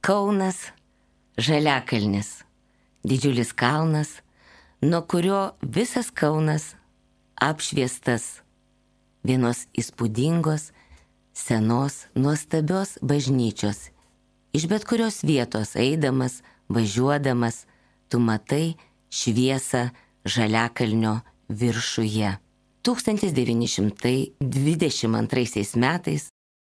Kaunas Žaliakalnis. Didžiulis kalnas, nuo kurio visas Kaunas apšviestas vienos įspūdingos, senos, nuostabios bažnyčios. Iš bet kurios vietos eidamas, važiuodamas, tu matai šviesą Žaliakalnio viršuje. 1922 metais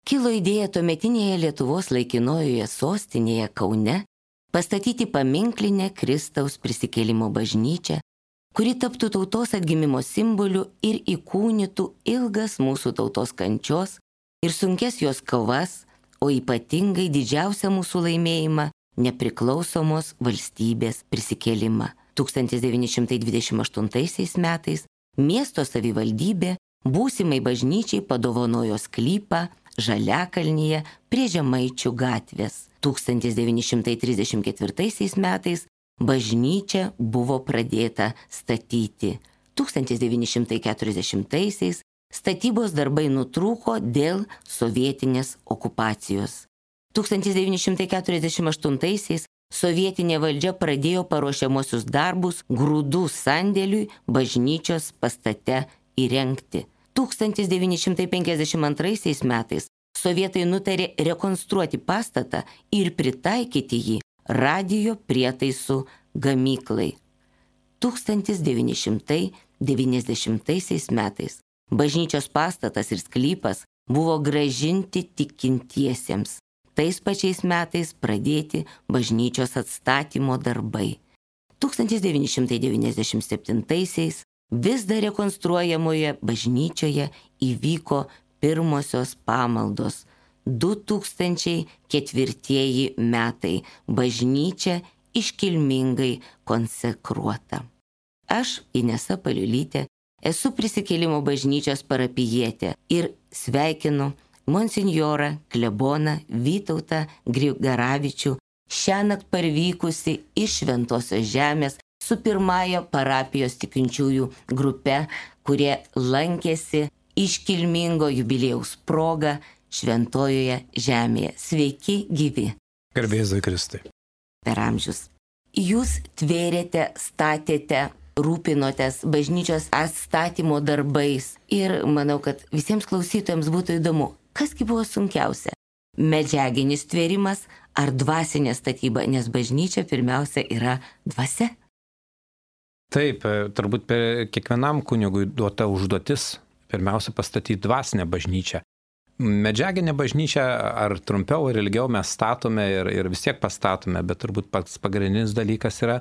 kilo idėja tuometinėje Lietuvos laikinojoje sostinėje Kaune pastatyti paminklinę Kristaus prisikėlimo bažnyčią, kuri taptų tautos atgimimo simboliu ir įkūnytų ilgas mūsų tautos kančios ir sunkes jos kovas, o ypatingai didžiausią mūsų laimėjimą – nepriklausomos valstybės prisikėlimą. 1928 metais miesto savivaldybė būsimai bažnyčiai padovanojo sklypą Žaliakalnyje prie Žemaičių gatvės. 1934 metais bažnyčia buvo pradėta statyti. 1940 statybos darbai nutrūko dėl sovietinės okupacijos. 1948 sovietinė valdžia pradėjo paruošiamosius darbus grūdų sandėliui bažnyčios pastate įrengti. 1952 metais sovietai nutarė rekonstruoti pastatą ir pritaikyti jį radijo prietaisų gamyklai. 1990 metais bažnyčios pastatas ir sklypas buvo grąžinti tikintiesiems. Tais pačiais metais pradėti bažnyčios atstatymo darbai. 1997 vis dar rekonstruojamoje bažnyčioje įvyko pirmosios pamaldos. 2004 metai bažnyčia iškilmingai konsekruota. Aš, Inesa Paliulytė, esu Prisikėlimo bažnyčios parapijietė ir sveikinu monsinjorą kleboną Vytautą Grigaravičių šiąnakt parvykusi iš Šventosios žemės su pirmąja parapijos tikinčiųjų grupe, kurie lankėsi iškilmingo jubiliejaus proga Šventojoje žemėje. Sveiki gyvi. Garbėzui Kristui. Per amžius. Jūs tvėrėte, statėte, rūpinotės bažnyčios atstatymo darbais ir manau, kad visiems klausytojams būtų įdomu, kasgi buvo sunkiausia? Medžiaginis tvėrimas ar dvasinė statyba, nes bažnyčia pirmiausia yra dvasia? Taip, turbūt kiekvienam kunigui duota užduotis pirmiausia pastatyti dvasinę bažnyčią. Medžiaginę bažnyčią ar trumpiau ar ilgiau mes statome ir vis tiek pastatome, bet turbūt pats pagrindinis dalykas yra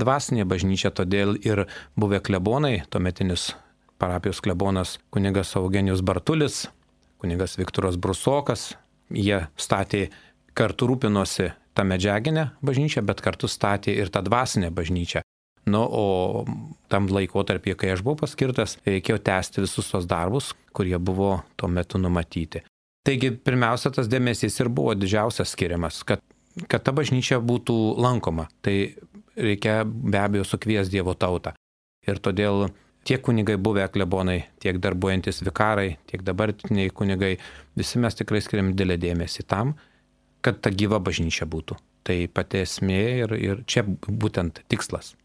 dvasinė bažnyčia, todėl ir buvę klebonai, tuometinis parapijos klebonas kunigas Eugenijus Bartulis, kunigas Viktoras Brusokas, jie statė, kartu rūpinosi tą medžiaginę bažnyčią, bet kartu statė ir tą dvasinę bažnyčią. Nu, o tam laikotarpyje, kai aš buvau paskirtas, reikėjo tęsti visus tos darbus, kurie buvo tuo metu numatyti. Taigi, pirmiausia, tas dėmesys ir buvo didžiausias skiriamas, kad ta bažnyčia būtų lankoma. Tai reikia be abejo sukvies Dievo tautą. Ir todėl tiek kunigai buvę klebonai, tiek darbuojantis vikarai, tiek dabartiniai kunigai, visi mes tikrai skiriam didelį dėmesį tam, kad ta gyva bažnyčia būtų. Tai pati esmė ir čia būtent tikslas.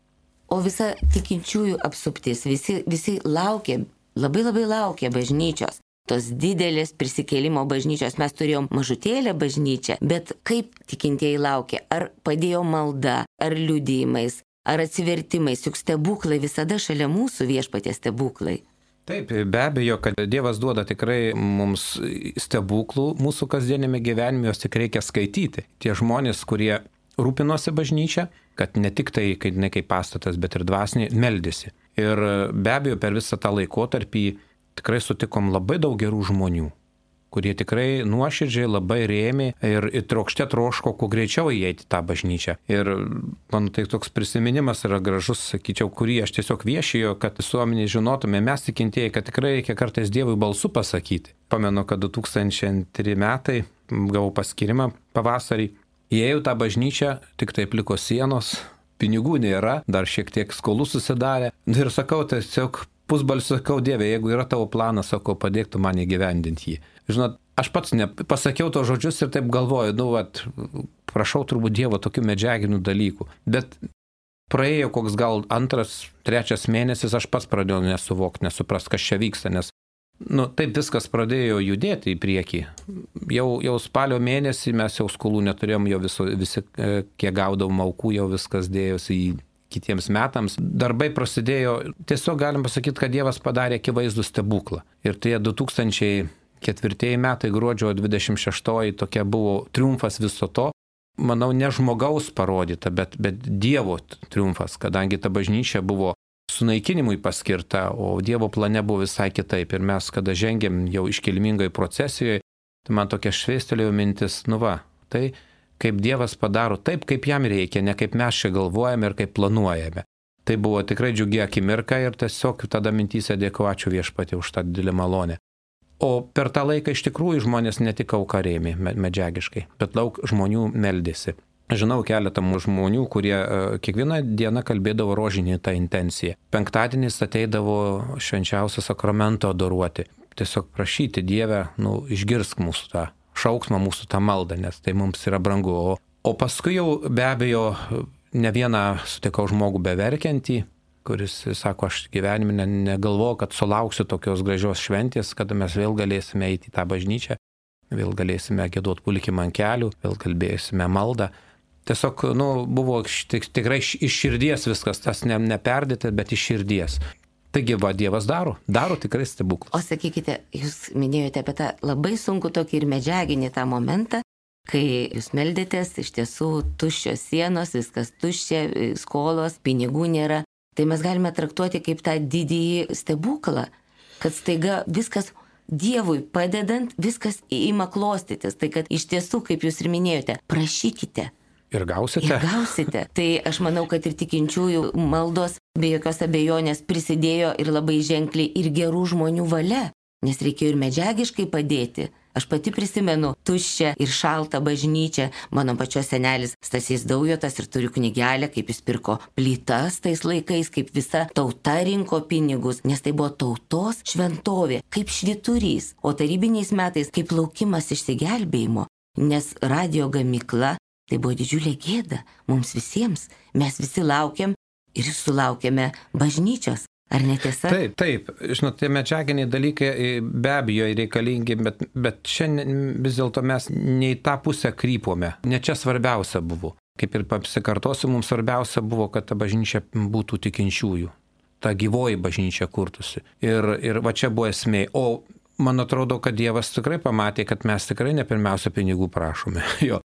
O visa tikinčiųjų apsuptis, visi laukia, labai laukia bažnyčios. Tos didelės prisikėlimo bažnyčios, mes turėjom mažutėlę bažnyčią, bet kaip tikintieji laukia? Ar padėjo malda, ar liudijimais, ar atsivertimais, juk stebuklai visada šalia mūsų, Viešpaties stebuklai. Taip, be abejo, kad Dievas duoda tikrai mums stebuklų mūsų kasdienėme gyvenime, jos tik reikia skaityti. Tie žmonės, kurie rūpinosi bažnyčia, kad ne tik tai, kaip pastatas, bet ir dvasiniai meldėsi. Ir be abejo, per visą tą laikotarpį tikrai sutikom labai daug gerų žmonių, kurie tikrai nuoširdžiai labai rėmė ir trokšte troško kuo greičiau įeiti tą bažnyčią. Ir man tai toks prisiminimas yra gražus, sakyčiau, kurį aš tiesiog viešėjo, kad visuomenė žinotume, mes tikintieji, kad tikrai reikia kartais Dievui balsu pasakyti. Pamenu, kad 2002 metai gavau paskyrimą pavasarį. Įėjau tą bažnyčią, tik taip liko sienos, pinigų nėra, dar šiek tiek skolų susidarė. Ir sakau, tiesiog pusbalsiu sakau, Dieve, jeigu yra tavo planas, sakau, padėk tu man įgyvendinti jį. Žinot, aš pats pasakiau to žodžius ir taip galvoju, prašau turbūt Dievo tokių medžiaginių dalykų. Bet praėjo koks gal 2-3 mėnesis, aš pats pradėjau nesuprast, kas čia vyksta, nes taip viskas pradėjo judėti į priekį. Jau spalio mėnesį mes jau skolų neturėjom, jau visi, kiek gaudavom aukų, jau viskas dėjosi į kitiems metams. Darbai prasidėjo, tiesiog galim pasakyti, kad Dievas padarė akivaizdų stebuklą. Ir tie 2004 metai, gruodžio 26, tokia buvo triumfas viso to. Manau, ne žmogaus parodyta, bet Dievo triumfas, kadangi ta bažnyčia buvo sunaikinimui paskirta, o Dievo plane buvo visai kitaip. Ir mes, kada žengėm jau iškilmingai procesijoje, tai man tokia švėstelėjo mintis, tai kaip Dievas padaro taip, kaip jam reikia, ne kaip mes čia galvojame ir kaip planuojame. Tai buvo tikrai džiugi akimirka ir tiesiog tada mintyse dėkoju, ačiū Viešpatie už tą didelę malonę. O per tą laiką iš tikrųjų žmonės ne tik auką rėmė medžiagiškai, bet daug žmonių meldėsi. Žinau keletą žmonių, kurie kiekvieną dieną kalbėdavo rožinį tą intenciją. Penktadieniais ateidavo švenčiausio sakramento adoruoti. Tiesiog prašyti Dievę, išgirsk mūsų tą šauksmą, mūsų tą maldą, nes tai mums yra brangu. O paskui jau be abejo ne vieną sutikau žmogų beverkiantį, kuris sako, aš gyvenime negalvoju, kad sulauksiu tokios gražios šventės, kada mes vėl galėsime eiti į tą bažnyčią, vėl galėsime giedoti pulkimą ant kelių, vėl kalbėsime maldą. Tiesiog, buvo tikrai iš širdies viskas, tas neperdėta, bet iš širdies. Taigi, Dievas daro tikrai stebuklus. O sakykite, jūs minėjote apie tą labai sunku tokį ir medžiaginį tą momentą, kai jūs meldėtės, iš tiesų tuščios sienos, viskas tuščia, skolos, pinigų nėra. Tai mes galime traktuoti kaip tą didįjį stebuklą, kad staiga viskas Dievui padedant, viskas ima klostytis. Tai kad iš tiesų, kaip jūs ir minėjote, prašykite. Ir gausite. Tai aš manau, kad ir tikinčiųjų maldos be jokios abejonės prisidėjo ir labai ženkliai ir gerų žmonių valia, nes reikėjo ir medžiagiškai padėti. Aš pati prisimenu tuščią ir šaltą bažnyčią. Mano pačios senelis Stasys Daujotas ir turiu knygelę, kaip jis pirko plytas tais laikais, kaip visa tauta rinko pinigus, nes tai buvo tautos šventovė, kaip švyturys, o tarybiniais metais kaip laukimas išsigelbėjimo, nes radio gamykla tai buvo didžiulė gėda mums visiems. Mes visi laukiam ir sulaukėme bažnyčios. Ar netiesa? Taip. Žinot, tie medžiaginiai dalykai be abejo reikalingi, bet šiandien vis dėlto mes ne į tą pusę krypome. Ne čia svarbiausia buvo. Kaip ir pasikartosiu, mums svarbiausia buvo, kad ta bažnyčia būtų tikinčiųjų. Ta gyvoji bažnyčia kurtųsi. Ir va čia buvo esmė. O man atrodo, kad Dievas tikrai pamatė, kad mes tikrai ne pirmiausia pinigų prašome,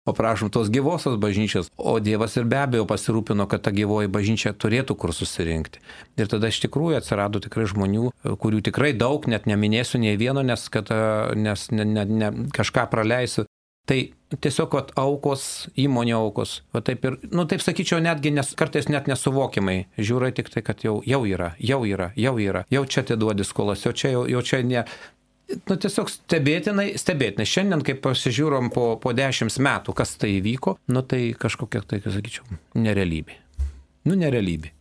o prašom tos gyvosios bažnyčios, o Dievas ir be abejo pasirūpino, kad ta gyvoji bažnyčia turėtų kur susirinkti. Ir tada iš tikrųjų atsirado tikrai žmonių, kurių tikrai daug, net neminėsiu nei vieno, nes kažką praleisiu. Tai tiesiog aukos, įmonių aukos, taip ir, taip sakyčiau, netgi kartais net nesuvokiamai, žiūrai tik tai, kad jau yra, jau čia atiduodi skolas, jau čia ne. Tiesiog stebėtinai. Šiandien, kai pasižiūrom po 10 metų, kas tai įvyko, tai kažkokia, tai, sakyčiau, nerealybė. Nerealybė.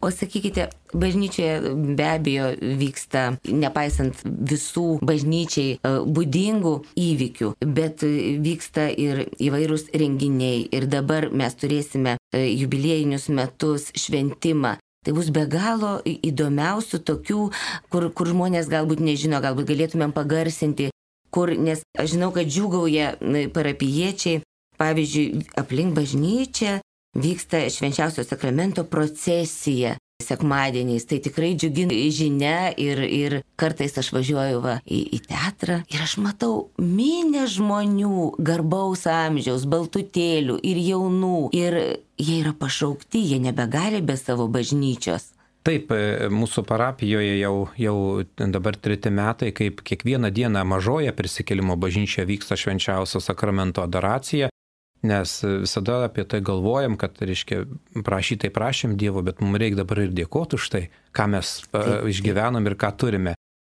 O sakykite, bažnyčioje be abejo vyksta, nepaisant visų bažnyčiai būdingų įvykių, bet vyksta ir įvairūs renginiai. Ir dabar mes turėsime jubiliejinius metus, šventimą. Tai bus be galo įdomiausių tokių, kur žmonės galbūt nežino, galbūt galėtumėm pagarsinti, nes aš žinau, kad džiūgauja parapijiečiai, pavyzdžiui, aplink bažnyčią vyksta švenčiausio sakramento procesija sekmadieniais. Tai tikrai džiugi žinia ir kartais aš važiuoju į teatrą ir aš matau minią žmonių garbaus amžiaus, baltutėlių ir jaunų. Ir jie yra pašaukti, jie nebegali be savo bažnyčios. Taip, mūsų parapijoje jau dabar 3 metai, kaip kiekvieną dieną mažoje prisikėlimo bažnyčioje vyksta švenčiausio sakramento adoracija. Nes visada apie tai galvojam, kad, prašym Dievo, bet mums reikia dabar ir dėkoti už tai, ką mes išgyvenom ir ką turime.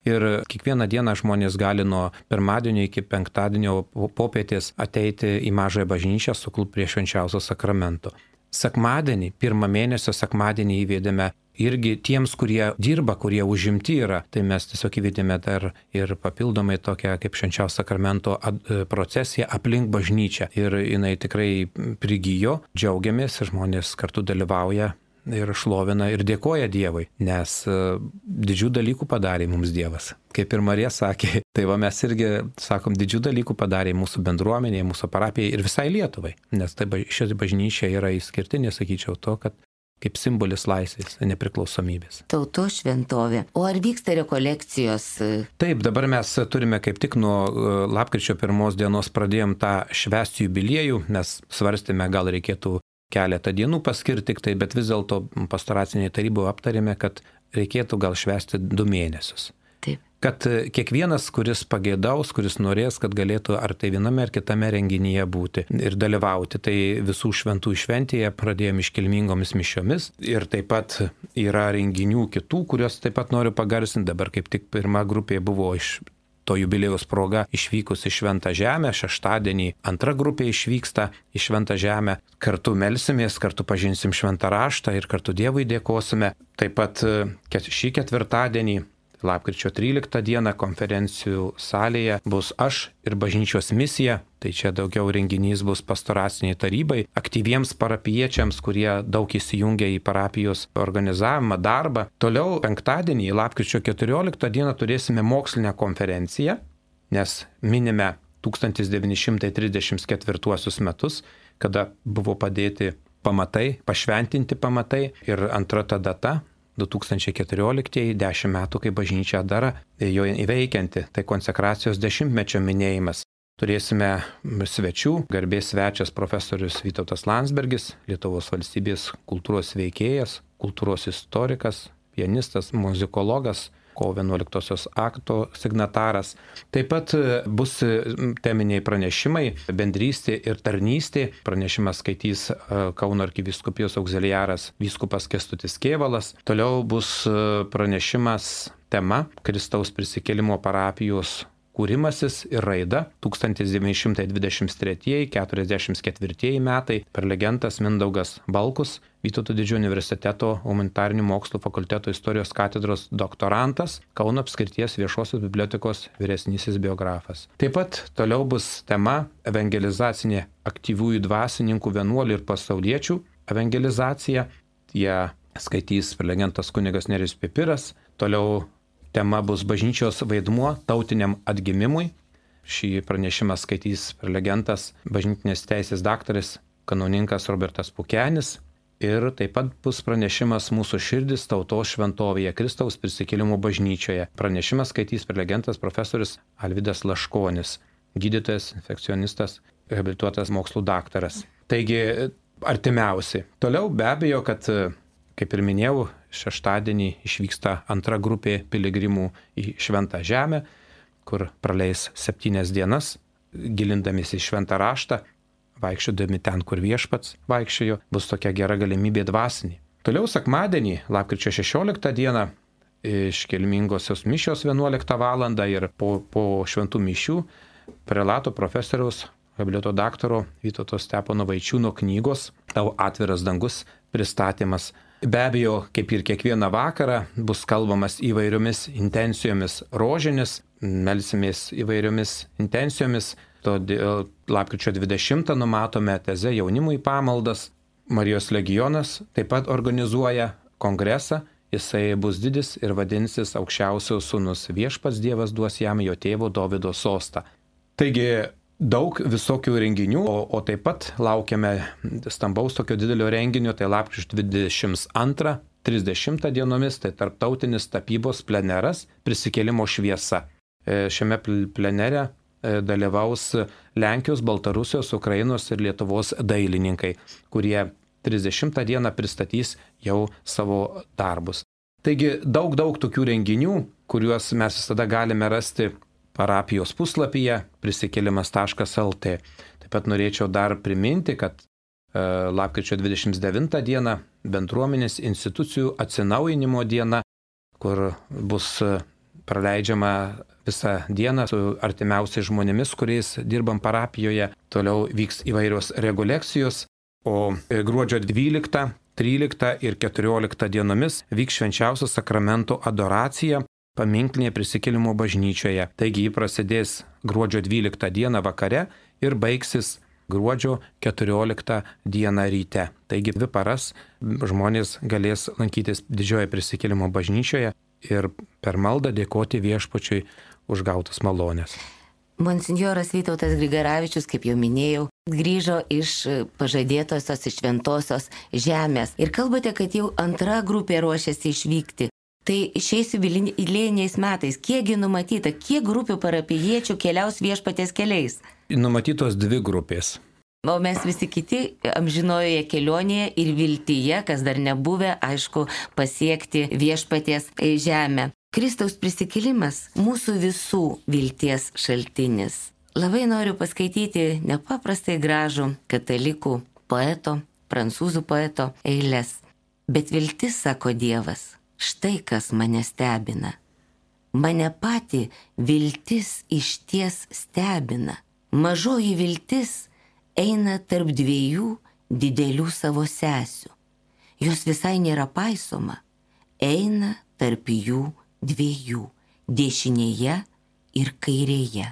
Ir kiekvieną dieną žmonės gali nuo pirmadienio iki penktadienio popietės ateiti į mažąją bažnyčią, suklupti prie švenčiausio sakramento. Sekmadienį, pirmą mėnesio sekmadienį įvedėme irgi tiems, kurie dirba, kurie užimti yra. Tai mes tiesiog įvedėme dar ir papildomai tokią kaip švenčiausio sakramento procesiją aplink bažnyčią. Ir jinai tikrai prigijo, džiaugiamės, žmonės kartu dalyvauja ir šlovina ir dėkoja Dievui, nes didžių dalykų padarė mums Dievas. Kaip ir Marija sakė, tai va mes irgi sakom, didžių dalykų padarė mūsų bendruomenėje, mūsų parapijai ir visai Lietuvai. Nes tai ši bažnyčia yra išskirtinė, sakyčiau, to, kad kaip simbolis laisvės, nepriklausomybės. Tautos šventovė. O ar vyksta rekolekcijos? Taip, dabar mes turime kaip tik nuo lapkričio 1 dienos pradėjom tą švęsti jubiliejų, nes svarstėme, gal reikėtų keletą dienų paskirti tik tai, bet vis dėlto pastoracinėje taryboje aptarėme, kad reikėtų gal švęsti 2 mėnesius. Taip. Kad kiekvienas, kuris pageidaus, kuris norės, kad galėtų ar tai viename ar kitame renginyje būti ir dalyvauti. Tai visų šventų šventėje pradėjome iškilmingomis mišiomis ir taip pat yra renginių kitų, kuriuos taip pat noriu pagarsinti. Dabar kaip tik pirma grupė buvo iš to jubiliejaus proga išvykus į Šventą Žemę, šeštadienį antra grupė išvyksta į Šventą Žemę, kartu melsimės, kartu pažinsim Šventą Raštą ir kartu Dievui dėkosime. Taip pat šį ketvirtadienį, lapkričio 13 dieną konferencijų salėje bus aš ir bažnyčios misija, tai čia daugiau renginys bus pastoraciniai tarybai, aktyviems parapiečiams, kurie daug įsijungia į parapijos organizavimą, darbą. Toliau penktadienį, lapkričio 14 dieną turėsime mokslinę konferenciją, nes minime 1934 metus, kada buvo padėti pamatai, pašventinti pamatai ir antra ta data 2014, 10 metų, kai bažnyčia dar jo įveikianti, tai konsekracijos 10-mečio minėjimas. Turėsime svečių, garbės svečias profesorius Vytautas Landsbergis, Lietuvos valstybės kultūros veikėjas, kultūros istorikas, pianistas, muzikologas, kovo 11 akto signataras. Taip pat bus teminiai pranešimai, bendrystė ir tarnystė. Pranešimas skaitys Kauno arkivyskupijos auxiliaras vyskupas Kęstutis Kėvalas. Toliau bus pranešimas tema Kristaus prisikėlimo parapijos kūrimasis ir raida 1923-44 metai. Prelegentas Mindaugas Balkus, Vytauto Didžiojo universiteto humanitarinių mokslų fakulteto istorijos katedros doktorantas, Kauno apskrities viešosios bibliotekos vyresnysis biografas. Taip pat toliau bus tema evangelizacinė aktyviųjų dvasininkų, vienuolių ir pasauliečių evangelizacija. Jie skaitys prelegentas kunigas Nerijus Pipiras. Toliau tema bus bažnyčios vaidmuo tautiniam atgimimui. Šį pranešimą skaitys prelegentas bažnytinės teisės daktaras kanauninkas Robertas Pukenis. Ir taip pat bus pranešimas Mūsų širdis tautos šventovėje Kristaus prisikėlimo bažnyčioje. Pranešimą skaitys prelegentas profesorius Alvydas Laškonis, gydytojas, infekcionistas, habilituotas mokslų daktaras. Taigi artimiausi. Toliau be abejo, kad kaip ir minėjau, šeštadienį išvyksta antra grupė piligrimų į Šventą Žemę, kur praleis 7 dienas, gilindamiesi į Šventą Raštą, vaikščiodami ten, kur Viešpats vaikščiojo, bus tokia gera galimybė dvasinė. Toliau sekmadienį, lapkričio 16 dieną, iškilmingosios mišios 11 val. Ir po šventų mišių prelato profesoriaus habilito daktaro Vytauto Stepono Vaičiūno knygos Tau atviras dangus pristatymas. Be abejo, kaip ir kiekvieną vakarą, bus kalbamas įvairiomis intencijomis rožinis, melsimės įvairiomis intencijomis. Todėl lapkričio 20 numatome teze jaunimui pamaldas. Marijos legionas taip pat organizuoja kongresą. Jisai bus didis ir vadinsis Aukščiausiojo sūnus. Viešpats Dievas duos jam jo tėvo Dovydo sostą. Taigi daug visokių renginių, o taip pat laukiame stambaus tokio didelio renginio, tai lapkričio 22-30 dienomis, tai tarptautinis tapybos pleneras Prisikėlimo šviesa. Šiame plenere dalyvaus Lenkijos, Baltarusijos, Ukrainos ir Lietuvos dailininkai, kurie 30 dieną pristatys jau savo darbus. Taigi daug tokių renginių, kuriuos mes visada galime rasti parapijos puslapyje prisikėlimas.lt. Taip pat norėčiau dar priminti, kad lapkričio 29 diena bendruomenės institucijų atsinaujinimo diena, kur bus praleidžiama visą dieną su artimiausiais žmonėmis, kuriais dirbam parapijoje. Toliau vyks įvairios rekolekcijos. O gruodžio 12, 13 ir 14 dienomis vyks švenčiausio sakramento adoracija paminklinėje prisikėlimo bažnyčioje. Taigi ji prasidės gruodžio 12 dieną vakare ir baigsis gruodžio 14 dieną ryte. Taigi 2 paras žmonės galės lankytis didžiojoje prisikėlimo bažnyčioje ir per maldą dėkoti Viešpačiui už gautas malonės. Monsinjoras Vytautas Grigaravičius, kaip jau minėjau, grįžo iš pažadėtosios, iš šventosios žemės. Ir kalbate, kad jau antra grupė ruošiasi išvykti. Tai šiais jubiliejiniais metais, kiekgi numatyta, kiek grupių parapijiečių keliaus Viešpaties keliais? Numatytos 2 grupės. O mes visi kiti amžinojoje kelionėje ir viltyje, kas dar nebuvę, aišku, pasiekti Viešpaties žemę. Kristaus prisikėlimas mūsų visų vilties šaltinis. Labai noriu paskaityti nepaprastai gražų katalikų poeto, prancūzų poeto eiles. Bet viltis, sako Dievas, štai kas mane stebina. Mane pati viltis išties stebina. Mažoji viltis eina tarp 2 didelių savo sesių. Jos visai nėra paisoma, eina tarp jų 2, dešinėje ir kairėje.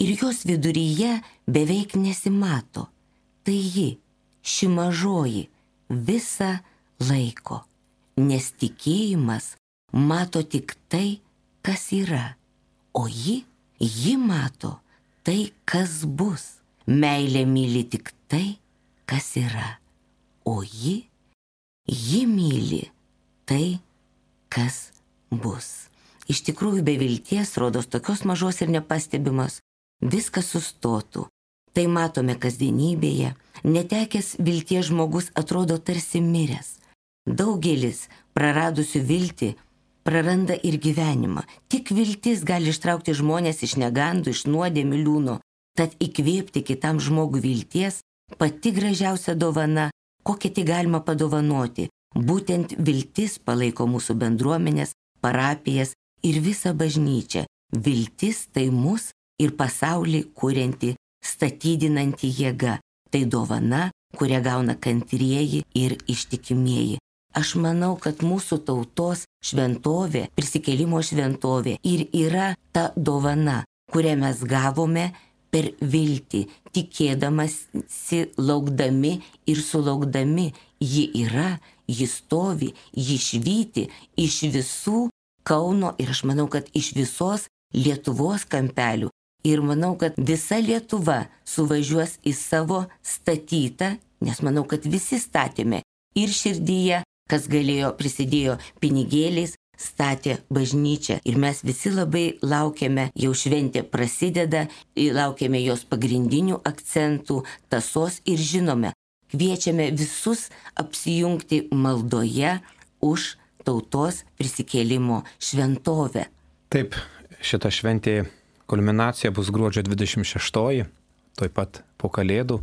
Ir jos viduryje beveik nesimato. Tai ji, ši mažoji, visą laiko. Nes tikėjimas mato tik tai, kas yra. O ji mato tai, kas bus. Meilė myli tik tai, kas yra. O ji myli tai, kas bus. Iš tikrųjų, be vilties, rodos tokios mažos ir nepastebimos, viskas sustotų. Tai matome kasdienybėje. Netekęs vilties žmogus atrodo tarsi miręs. Daugelis praradusių viltį praranda ir gyvenimą. Tik viltis gali ištraukti žmonės iš negandų, iš nuodėmių liūno. Tad įkvėpti kitam žmogui vilties pati gražiausia dovana, kokią tik galima padovanoti. Būtent viltis palaiko mūsų bendruomenės, parapijas ir visą bažnyčią. Viltis tai mus ir pasaulį kurianti, statydinanti jėga. Tai dovana, kurią gauna kantrieji ir ištikimieji. Aš manau, kad mūsų tautos šventovė, prisikėlimo šventovė ir yra ta dovana, kurią mes gavome per viltį, tikėdamasi, laukdami ir sulaukdami. Ji yra, ji stovi, ji švyti iš visų Kauno ir aš manau, kad iš visos Lietuvos kampelių. Ir manau, kad visa Lietuva suvažiuos į savo statytą, nes manau, kad visi statėme ir širdyje, kas galėjo, prisidėjo pinigėliais, statė bažnyčią. Ir mes visi labai laukiame, jau šventė prasideda, laukiame jos pagrindinių akcentų, tąsos ir žinome, kviečiame visus apsijungti maldoje už tautos prisikėlimo šventovę. Taip, šita šventė kulminacija bus gruodžio 26, taip pat po Kalėdų.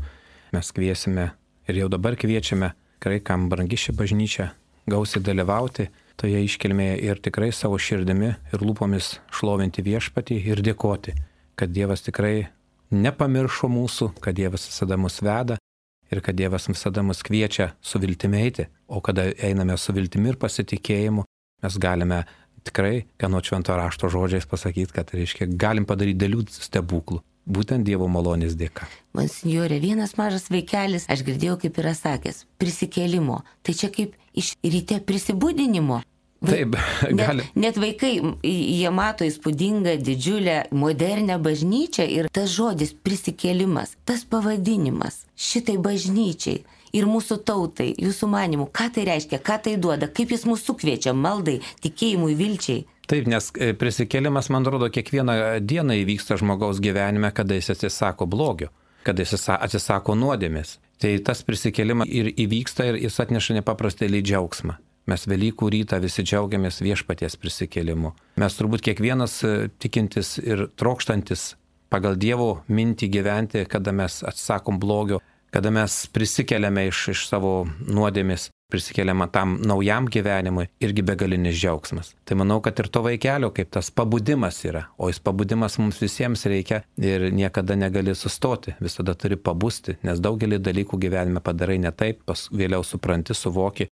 Mes kviesime ir jau dabar kviečiame, tikrai kam brangi ši bažnyčia, gausiai dalyvauti toje iškilmėje ir tikrai savo širdimi ir lūpomis šlovinti Viešpatį ir dėkoti, kad Dievas tikrai nepamiršo mūsų, kad Dievas visada mus veda ir kad Dievas visada mus kviečia su viltimi eiti. O kada einame su viltimi ir pasitikėjimu, mes galime tikrai, kanot švento rašto žodžiais pasakyti, kad reiškia, galim padaryti dėlių stebuklų. Būtent Dievo malonės dėka. Monsinjore, vienas mažas vaikelis, aš girdėjau, kaip yra sakęs, prisikėlimo. Tai čia kaip iš ryte prisibudinimo. Taip, gali. Net vaikai, jie mato įspūdingą, didžiulę, modernę bažnyčią ir tas žodis prisikėlimas, tas pavadinimas šitai bažnyčiai ir mūsų tautai, jūsų manimų, ką tai reiškia, ką tai duoda, kaip jis mūsų kviečia maldai, tikėjimui, vilčiai. Taip, nes prisikėlimas, man rodo, kiekvieną dieną įvyksta žmogaus gyvenime, kada jis atsisako blogio, kada jis atsisako nuodėmės. Tai tas prisikėlimas ir įvyksta ir jis atneša nepaprastai džiaugsmą. Mes Velykų rytą visi džiaugiamės Viešpaties prisikėlimu. Mes turbūt kiekvienas tikintis ir trokštantis pagal Dievo mintį gyventi, kada mes atsisakom blogio, kada mes prisikeliame iš savo nuodėmės, prisikeliame tam naujam gyvenimui, irgi begalinis džiaugsmas. Tai manau, kad ir to vaikelio, kaip tas pabudimas yra, o jis pabudimas mums visiems reikia ir niekada negali sustoti, visada turi pabusti, nes daugelį dalykų gyvenime padarai ne taip, vėliau supranti, suvoki,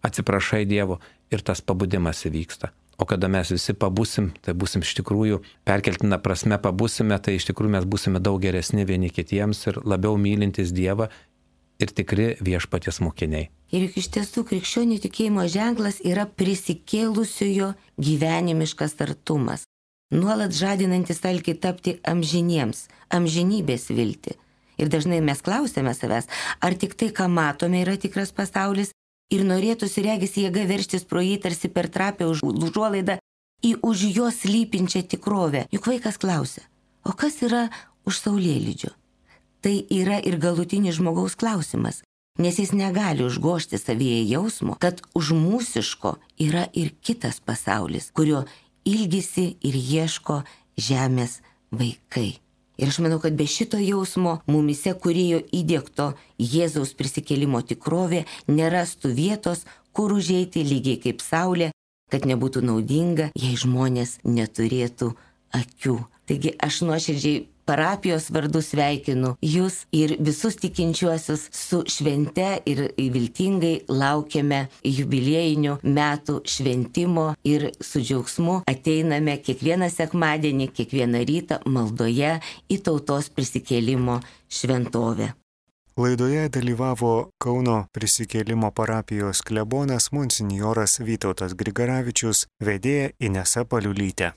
atsiprašai Dievo ir tas pabudimas įvyksta. O kada mes visi pabusim, tai busim iš tikrųjų, perkeltina prasme pabusime, tai iš tikrųjų mes busime daug geresni vieni kitiems ir labiau mylintis Dievą ir tikri viešpaties mokiniai. Ir juk iš tiesų krikščionių tikėjimo ženklas yra prisikėlusiojo gyvenimiškas artumas, nuolat žadinantis alkį tapti amžiniems, amžinybės viltį. Ir dažnai mes klausėme savęs, ar tik tai, ką matome, yra tikras pasaulis, ir norėtųsi regis jėga verštis pro jį tarsi per trapę užuolaidą į už jos slypinčią tikrovę. Juk vaikas klausia, o kas yra už saulėlydžio? Tai yra ir galutinis žmogaus klausimas, nes jis negali užgožti savyje jausmo, kad už mūsiško yra ir kitas pasaulis, kurio ilgisi ir ieško žemės vaikai. Ir aš manau, kad be šito jausmo mumise kūrėjo įdiegto Jėzaus prisikėlimo tikrovė nerastų vietos, kur užeiti lygiai kaip saulė, kad nebūtų naudinga, jei žmonės neturėtų akių. Taigi aš nuoširdžiai parapijos vardu sveikinu jūs ir visus tikinčiuosius su švente ir viltingai laukiame jubiliejinių metų šventimo ir su džiaugsmu ateiname kiekvieną sekmadienį, kiekvieną rytą maldoje į tautos prisikėlimo šventovę. Laidoje dalyvavo Kauno prisikėlimo parapijos klebonas monsinjoras Vytautas Grigaravičius, vedėja Inesa Paliulytė.